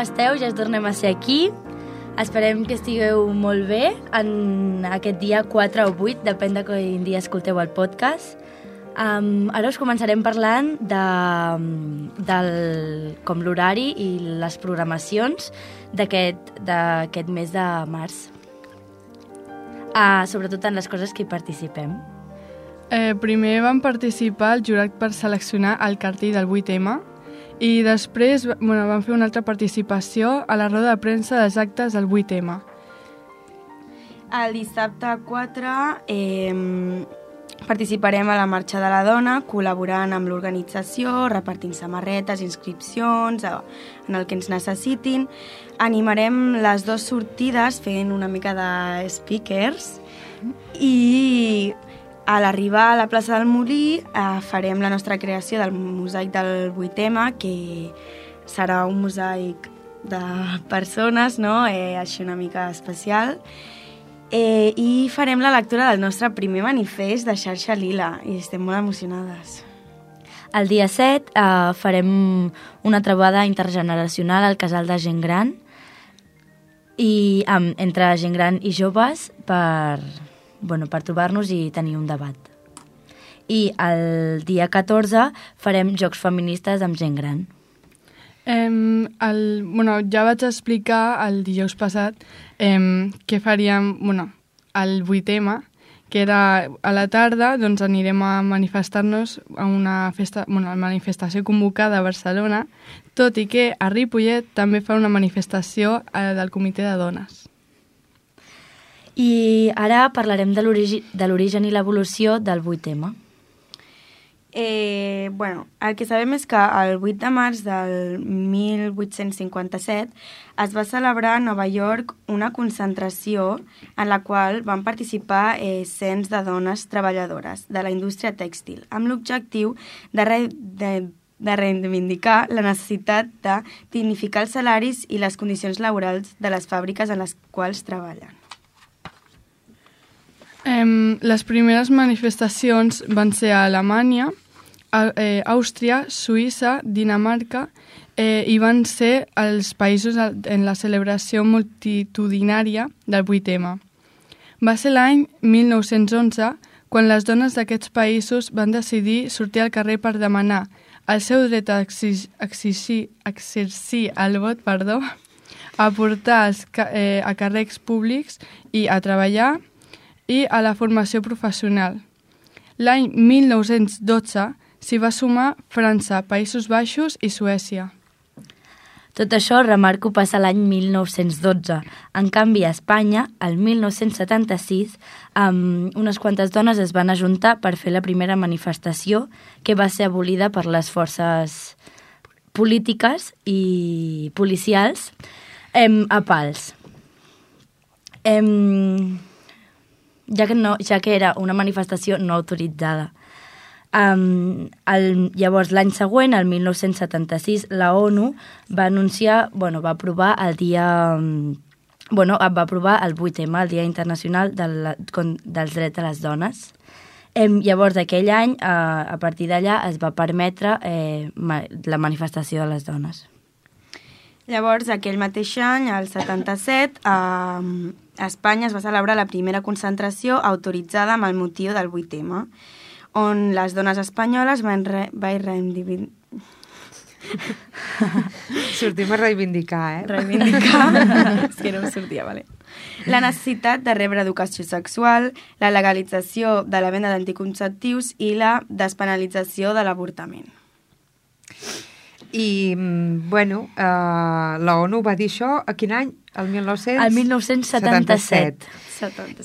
esteu? Ja tornem a ser aquí. Esperem que estigueu molt bé en aquest dia 4 o 8, depèn de quin dia escolteu el podcast. Ara us començarem parlant com l'horari i les programacions d'aquest mes de març. Sobretot en les coses que hi participem. Primer vam participar al jurat per seleccionar el cartell del 8M i després vam fer una altra participació a la roda de premsa dels actes del 8M. El dissabte 4 participarem a la Marxa de la Dona, col·laborant amb l'organització, repartint samarretes, inscripcions, en el que ens necessitin. Animarem les 2 sortides fent una mica de speakers i a l'arribar a la plaça del Molí farem la nostra creació del mosaic del 8M, que serà un mosaic de persones, no? Així una mica especial. I farem la lectura del nostre primer manifest de Xarxa Lila i estem molt emocionades. El dia 7 farem una trobada intergeneracional al casal de gent gran i entre gent gran i joves per trobar-nos i tenir un debat. I el dia 14 farem jocs feministes amb gent gran. Ja vaig explicar el dijous passat què faríem al 8M, que era a la tarda, doncs anirem a manifestar-nos a una manifestació convocada a Barcelona, tot i que a Ripollet també fa una manifestació del Comitè de Dones. I ara parlarem de l'origen i l'evolució del 8M. El que sabem és que el 8 de març del 1857 es va celebrar a Nova York una concentració en la qual van participar cents de dones treballadores de la indústria tèxtil, amb l'objectiu de reivindicar la necessitat de dignificar els salaris i les condicions laborals de les fàbriques en les quals treballen. Les primeres manifestacions van ser a Alemanya, Àustria, Suïssa, Dinamarca i van ser els països en la celebració multitudinària del 8M. Va ser l'any 1911 quan les dones d'aquests països van decidir sortir al carrer per demanar el seu dret a exercir el vot, a portar a càrrecs públics i a treballar i a la formació professional. L'any 1912 s'hi va sumar França, Països Baixos i Suècia. Tot això, remarco, passa l'any 1912. En canvi, a Espanya, el 1976, unes quantes dones es van ajuntar per fer la primera manifestació que va ser abolida per les forces polítiques i policials a pals. Ja que era una manifestació no autoritzada. Llavors, l'any següent, el 1976, la ONU va va aprovar el 8M, el Dia Internacional dels Drets de les Dones. Llavors, aquell any, a partir d'allà, es va permetre la manifestació de les dones. Llavors, aquell mateix any, el 77, a Espanya es va celebrar la primera concentració autoritzada amb el motiu del 8M, on les dones espanyoles van reivindicar... Sortim a reivindicar, Reivindicar, és que no em sortia, vale. La necessitat de rebre educació sexual, la legalització de la venda d'anticonceptius i la despenalització de l'avortament. I, la ONU va dir això a quin any? El 1977.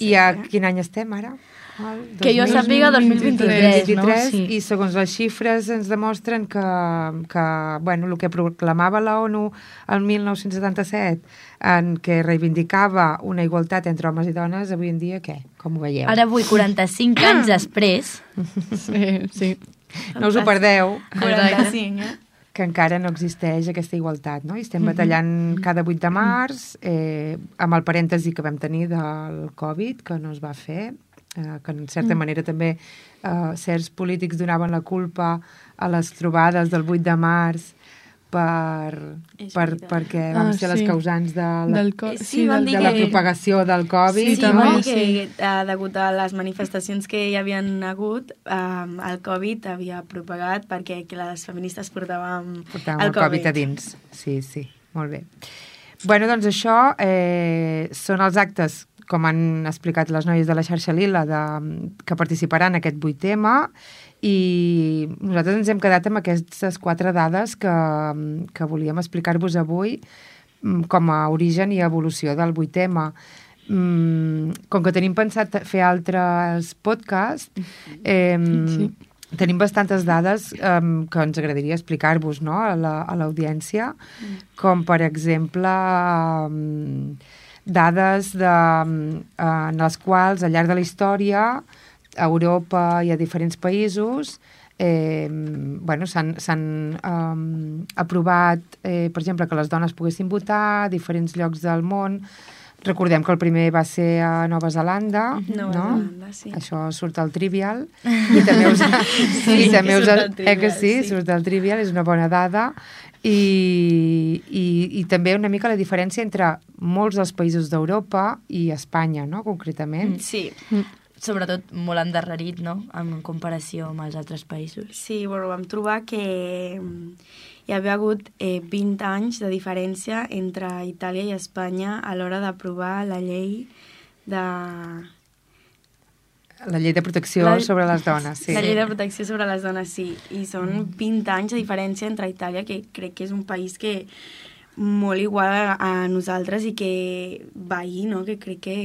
I a quin any estem ara? Que jo sàpiga 2023, no? Sí. I segons les xifres ens demostren que el que proclamava la ONU el 1977, en què reivindicava una igualtat entre homes i dones, avui en dia què? Com ho veieu? Ara avui, 45 anys després... Sí. No us ho perdeu. 45, que encara no existeix aquesta igualtat, no? I estem batallant cada 8 de març, amb el parèntesi que vam tenir del Covid, que no es va fer, que en certa manera també certs polítics donaven la culpa a les trobades del 8 de març perquè vam ser les causants de la propagació del Covid. Sí, també que degut a les manifestacions que hi havien hagut, el Covid havia propagat perquè les feministes portàvem el Covid a dins. Sí, molt bé. Bueno, doncs això són els actes, com han explicat les noies de la xarxa Lila, que participaran en aquest 8M, i nosaltres ens hem quedat amb aquestes 4 dades que volíem explicar-vos avui com a origen i evolució del 8M. Com que tenim pensat fer altres podcasts, tenim bastantes dades que ens agradaria explicar-vos, no?, a l'audiència, com per exemple dades en les quals al llarg de la història a Europa i a diferents països s'han aprovat, per exemple, que les dones poguessin votar a diferents llocs del món. Recordem que el primer va ser a Nova Zelanda, no? Sí. Això surt al Trivial. I també surt al Trivial, és una bona dada. I també una mica la diferència entre molts dels països d'Europa i Espanya, no?, concretament. Sí. Sobretot molt endarrerit, no?, en comparació amb els altres països. Sí, vam trobar que hi havia hagut 20 anys de diferència entre Itàlia i Espanya a l'hora d'aprovar la llei de... La llei de protecció sobre les dones, sí. La llei de protecció sobre les dones, sí. I són 20 anys de diferència entre Itàlia, que crec que és un país que molt igual a nosaltres i que veí, no?, que crec que,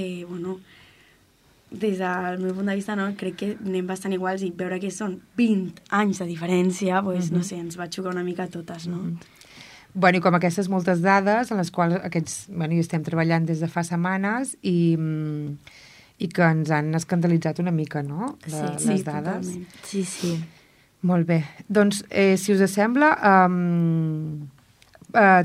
des del meu punt de vista, crec que anem bastant iguals, i veure que són 20 anys de diferència, no sé, ens va xocar una mica a totes, no? Bueno, i com aquestes moltes dades en les quals hi estem treballant des de fa setmanes i que ens han escandalitzat una mica, no?, les dades. Totalment. Sí. Molt bé. Doncs, si us sembla,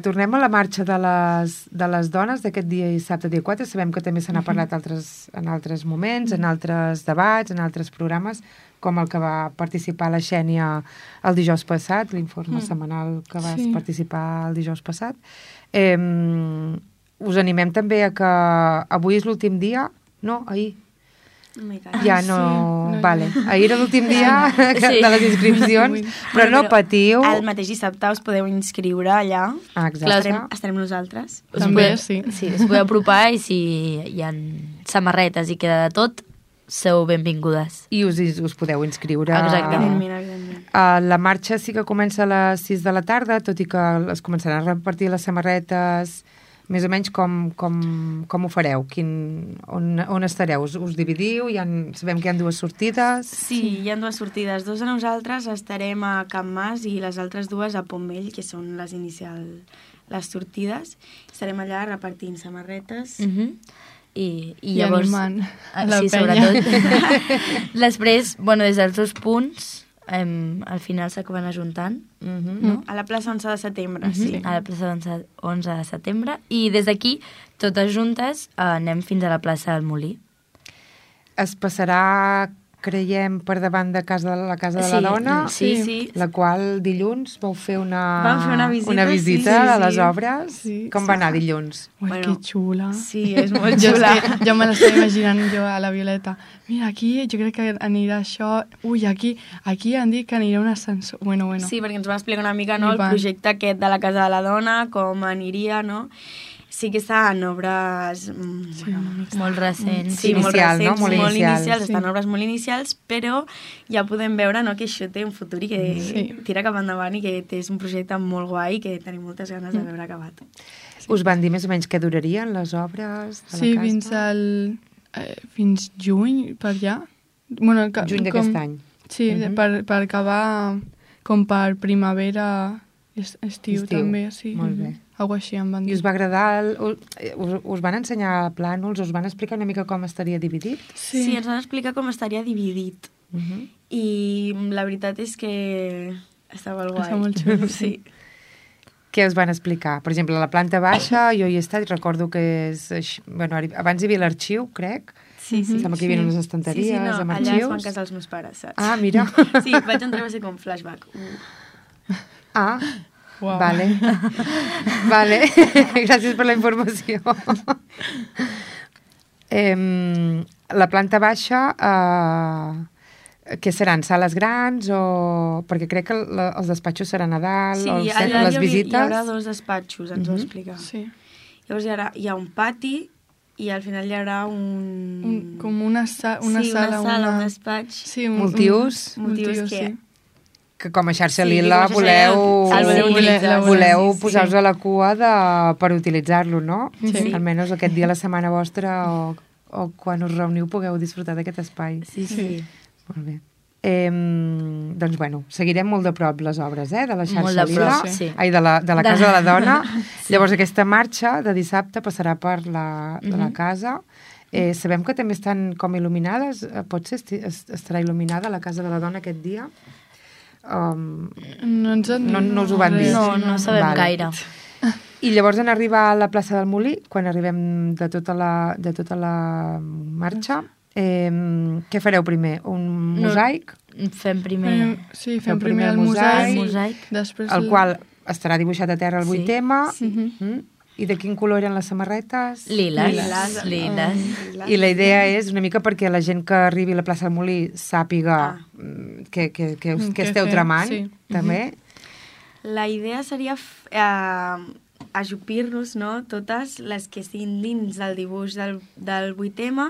tornem a la marxa de les dones d'aquest dissabte, dia 4. Sabem que també se n'ha parlat en altres moments, en altres debats, en altres programes, com el que va participar la Xènia el dijous passat, l'informe setmanal que vas participar el dijous passat. Us animem també a que avui és l'últim dia, no, ahir. Ja no... Vale. Ahir era l'últim dia de les inscripcions, però no patiu. El mateix dissabte us podeu inscriure allà. Exacte. Estarem nosaltres. També, sí. Sí, us podeu apropar i si hi ha samarretes i queda de tot, sou benvingudes. I us podeu inscriure. Exactament. La marxa sí que comença a les 6 de la tarda, tot i que es començaran a repartir les samarretes. Més o menys com ho fareu? On estareu? Us dividiu? Sabem que hi ha 2 sortides? Sí, hi ha 2 sortides. 2 de nosaltres estarem a Can Mas i les altres 2 a Pont Vell, que són les sortides. Estarem allà repartint samarretes. I llavors... animant la penya. Sobretot. Després, des dels 2 punts, al final s'acaben ajuntant, no? A la plaça 11 de setembre, sí. A la plaça 11 de setembre. I des d'aquí, totes juntes, anem fins a la plaça del Molí. Es passarà, creiem, per davant de la casa de la dona, sí. La qual dilluns vau fer Vam fer una visita a les obres. Sí. Com va anar dilluns? Ui, que xula. Sí, és molt xula. Jo me l'estava imaginant jo a la Violeta. Mira, aquí jo crec que anirà això. Ui, aquí han dit que anirà un ascensor. Bueno. Sí, perquè ens va explicar una mica, no, el projecte aquest de la casa de la dona, com aniria, no? Sí que està en obres molt recents. Sí, molt recents, molt inicials. Estan en obres molt inicials, però ja podem veure, no, que això té un futur i que tira cap endavant i que és un projecte molt guai i que tenim moltes ganes de veure acabat. Us van dir més o menys què durarien les obres de la casa? Sí, fins juny, per allà. Juny d'aquest any. Sí, per acabar com per primavera, estiu també, sí. Molt bé. Algo així em van dir. I us va agradar? Us van ensenyar plànols? Us van explicar una mica com estaria dividit? Sí, ens van explicar com estaria dividit. I la veritat és que estava guai. Està molt xulo. Sí. Què us van explicar? Per exemple, a la planta baixa jo hi he estat, recordo que és... abans hi havia l'arxiu, crec. Sí. Sembla que hi havia unes estanteries amb arxius. Allà es van casar els meus pares, saps? Ah, mira. Sí, vaig entrar a ser com flashback. Uau. Vale. Vale. Gràcies per la informació. La planta baixa, què seran? Sales grans o... Perquè crec que els despatxos seran a dalt, Sí, o allà les visites... hi haurà 2 despatxos, ens ho explica. Sí. Llavors hi ha un pati i al final hi haurà Com una sala, un despatx. Sí, Multiús. Multiús que... Que com a xarxa Sí, lila com a xarxa voleu lila, voleu sí, posar-vos a la cua per utilitzar-lo, no? Sí. Almenys aquest dia a la setmana vostra o quan us reuniu pugueu disfrutar d'aquest espai. Sí. Molt bé. Doncs, bueno, seguirem molt de prop les obres, de la xarxa Molt de lila. prop, sí. Ai, de la Casa de la Dona. Llavors, aquesta marxa de dissabte passarà per la casa. Sabem que també estan com il·luminades. Potser estarà il·luminada la Casa de la Dona aquest dia? No us ho van dir. No sabem gaire. I llavors en arribar a la plaça del Molí, quan arribem de tota la marxa, què fareu primer? Un mosaic? Fem primer... Fem primer el mosaic. Després el qual estarà dibuixat a terra el 8 tema. Sí. I de quin color eren les samarretes? Liles. I la idea és una mica perquè la gent que arribi a la plaça del Molí sàpiga què esteu tramant, també. La idea seria ajupir-nos, no?, totes les que estiguin dins del dibuix del 8M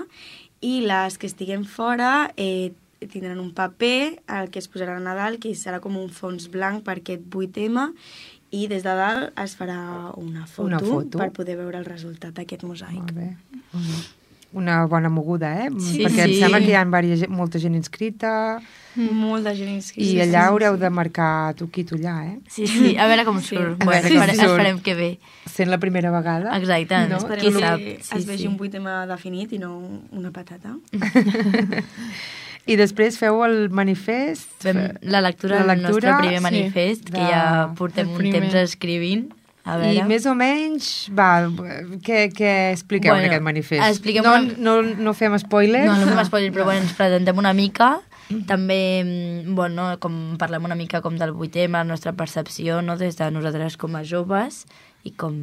i les que estiguem fora tindran un paper al que es posarà a dalt, que serà com un fons blanc per aquest 8M, i des de dalt es farà una foto per poder veure el resultat d'aquest mosaic. Molt bé. Una bona moguda, Sí, perquè em sembla que hi ha molta gent inscrita. Molta gent inscrita. I allà haureu de marcar tu aquí, tu allà, Sí, a veure com surt. Bueno, esperem que bé. Sent la primera vegada. Exacte, qui sap. Es vegi un 8M definit i no una patata. I després feu el manifest. Fem la lectura del nostre primer manifest, que ja portem un temps escrivint. A veure. I més o menys, què expliqueu en aquest manifest? No fem spoilers? No fem spoilers, però ens presentem una mica. També, com parlem una mica com del 8M, la nostra percepció, no?, des de nosaltres com a joves i com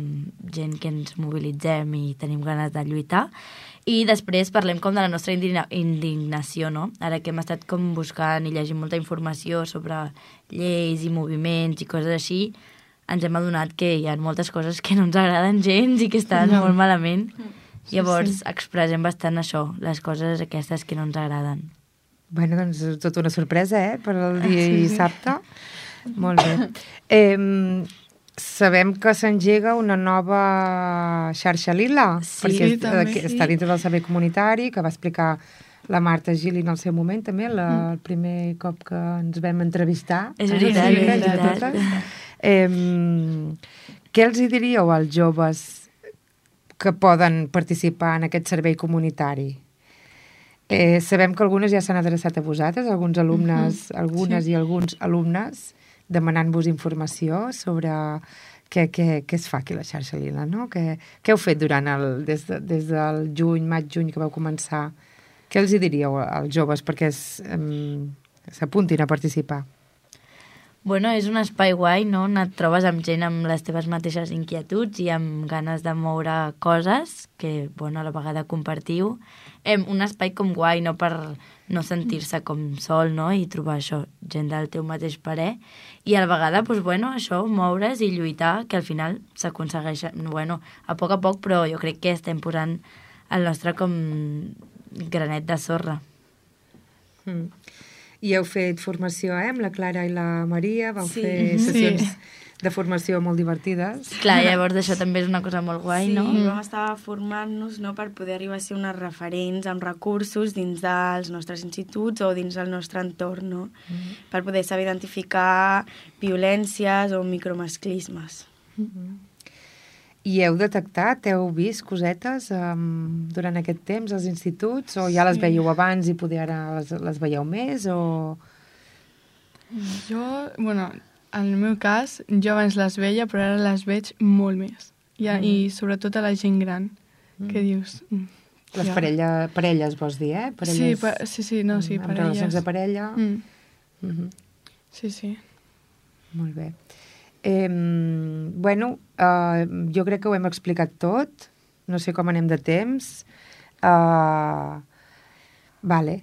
gent que ens mobilitzem i tenim ganes de lluitar. I després parlem com de la nostra indignació, no? Ara que hem estat com buscant i llegint molta informació sobre lleis i moviments i coses així, ens hem adonat que hi ha moltes coses que no ens agraden gens i que estan molt malament. Llavors expressem bastant això, les coses aquestes que no ens agraden. Bueno, doncs tota una sorpresa, per al dia dissabte. Molt bé. Sabem que s'engega una nova xarxa lila, perquè està dintre del servei comunitari, que va explicar la Marta Gili en el seu moment, també, el primer cop que ens vam entrevistar. És veritat. Què els diríeu als joves que poden participar en aquest servei comunitari? Sabem que algunes ja s'han adreçat a vosaltres, alguns alumnes, i alguns alumnes, demanant-vos informació sobre què es fa aquí a la xarxa lila, no? Què heu fet des del maig-juny que vau començar? Què els diríeu als joves perquè s'apuntin a participar? Bueno, és un espai guai, no? Et trobes amb gent amb les teves mateixes inquietuds i amb ganes de moure coses que, a la vegada compartiu. Un espai com guai, no, per no sentir-se com sol, no? I trobar això, gent del teu mateix parer. I a la vegada, això, moure's i lluitar, que al final s'aconsegueix, a poc, però jo crec que estem posant el nostre com granet de sorra. I heu fet formació, amb la Clara i la Maria, vau fer sessions de formació molt divertides. Clar, llavors això també és una cosa molt guai, no? Sí, vam estar formant-nos, no?, per poder arribar a ser unes referents amb recursos dins dels nostres instituts o dins del nostre entorn, no? Per poder saber identificar violències o micromasclismes. I heu detectat, heu vist cosetes durant aquest temps als instituts? O ja les veieu abans i poder ara les veieu més? O... Jo, en el meu cas, jo abans les veia, però ara les veig molt més. I sobretot a la gent gran, que dius... Les parelles vols dir, Parelles, sí, parelles. Amb relacions de parella. Sí. Molt bé. Bueno, jo crec que ho hem explicat tot. No sé com anem de temps. Vale.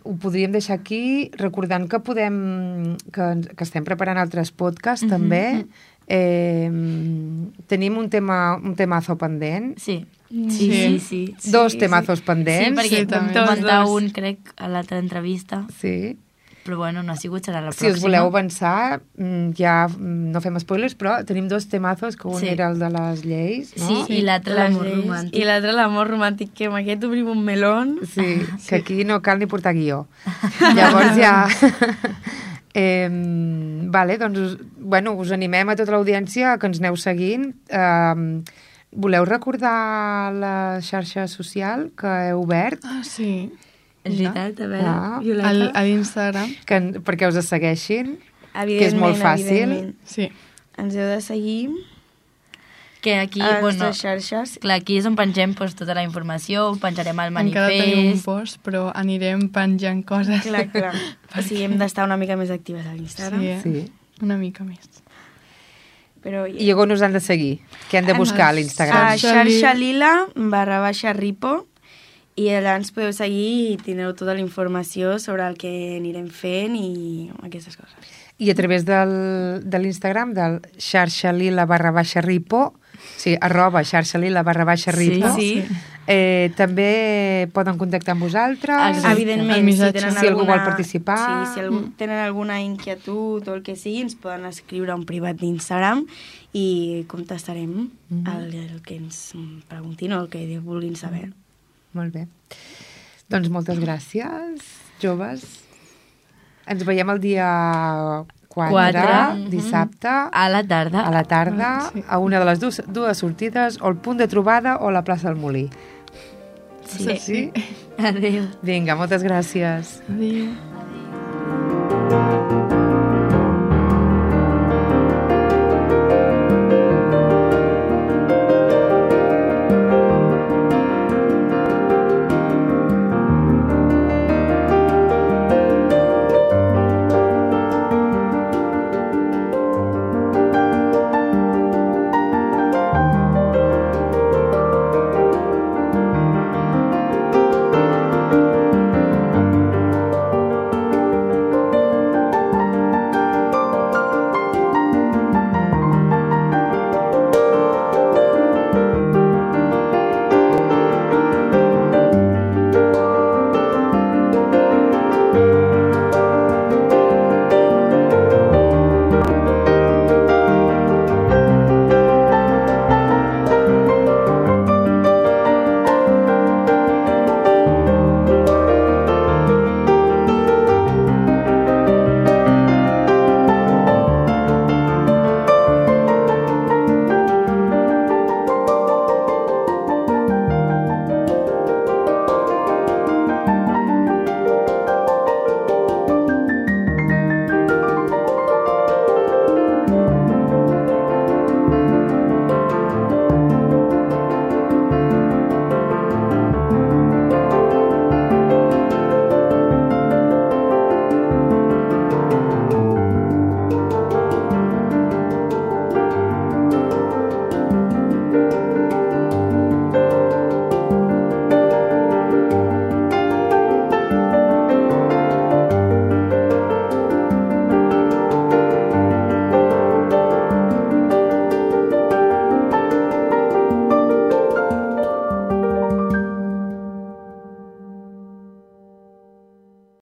Ho podríem deixar aquí, recordant que que estem preparant altres podcasts, també. Tenim un temazo pendent. Sí. Dos temazos pendents. Sí, perquè vam també. comentar un, crec, a l'altra entrevista. Sí. Però bueno, no ha sigut, serà la Si pròxima. us voleu avançar, ja no fem spoilers, però tenim dos temazos, que un era el de les lleis, no? Sí, i l'altre l'amor romàntic. I l'altre l'amor romàntic, que amb aquest obrim un melón. Sí, que aquí no cal ni portar guió. Llavors ja... vale, doncs, us animem a tota l'audiència que ens aneu seguint. Voleu recordar la xarxa social que heu obert? Ah, sí. És veritat, a veure, Violeta. A l'Instagram. Perquè us segueixin, que és Evidentment, molt fàcil. evidentment. Sí. Ens heu de seguir que aquí, a les bueno, nostres xarxes. clar, aquí és on pengem doncs, tota la informació, penjarem el Encara tenim un manifest... post, però anirem penjant coses. Clar. O sigui, hem d'estar una mica més actives a l'Instagram. Sí, Sí. una mica més. Però I on us han de seguir? Què han de buscar a l'Instagram? a xarxa lila /ripo i allà ens podeu seguir i tindreu tota la informació sobre el que anirem fent i aquestes coses. I a través de l'Instagram, del xarxalila /ripo, sí, @xarxalila /ripo, Sí. també poden contactar amb vosaltres. Evidentment, El missatge. tenen Si algú vol participar. Sí, si tenen alguna inquietud o el que sigui, ens poden escriure a un privat d'Instagram i contestarem el que ens preguntin o el que vulguin saber. Molt bé. Doncs moltes gràcies, joves. Ens veiem el dia 4, dissabte, A la tarda. a la tarda, Sí. a una de les dues sortides, o el punt de trobada o la plaça del Molí. Sí. Sí? Adéu. Vinga, moltes gràcies. Adéu.